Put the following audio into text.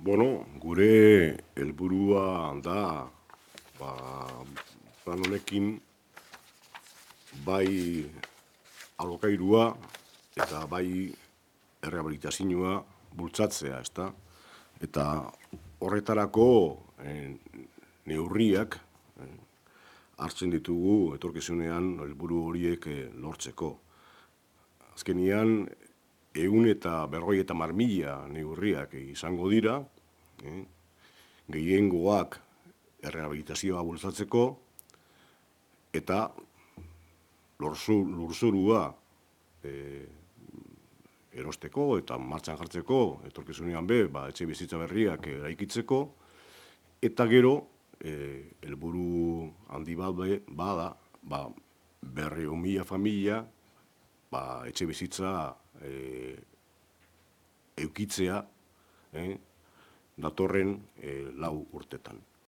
Gure helburua da, plan honekin, bai alokairua eta bai errehabilitazioa bultzatzea, ezta? Eta horretarako neurriak hartzen ditugu etorkizunean helburu horiek lortzeko. Azkenian, 150.000 neurriak izango dira, gehiengoak errehabilitazioa bultzatzeko, eta lurzorua erosteko eta martxan jartzeko, etorkizunean etxe bizitza berriak eraikitzeko, eta gero, helburu handi bat bada, 200.000 familia, etxe bizitza edukitzea datorren 4 urtetan.